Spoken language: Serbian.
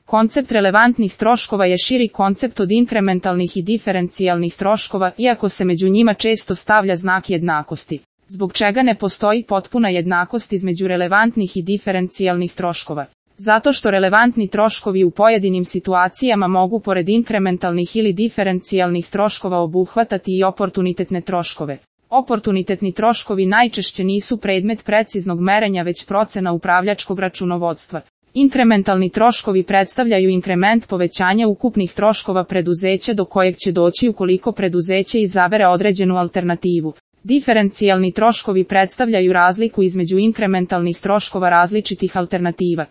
Koncept relevantnih troškova je širi koncept od inkrementalnih i diferencijalnih troškova, iako se među njima često stavlja znak jednakosti. Zbog čega ne postoji potpuna jednakost između relevantnih i diferencijalnih troškova? Zato što relevantni troškovi u pojedinim situacijama mogu pored inkrementalnih ili diferencijalnih troškova obuhvatati i oportunitetne troškove. Oportunitetni troškovi najčešće nisu predmet preciznog merenja već procena upravljačkog računovodstva. Inkrementalni troškovi predstavljaju inkrement povećanja ukupnih troškova preduzeća do kojeg će doći ukoliko preduzeće izabere određenu alternativu. Diferencijalni troškovi predstavljaju razliku između inkrementalnih troškova različitih alternativa.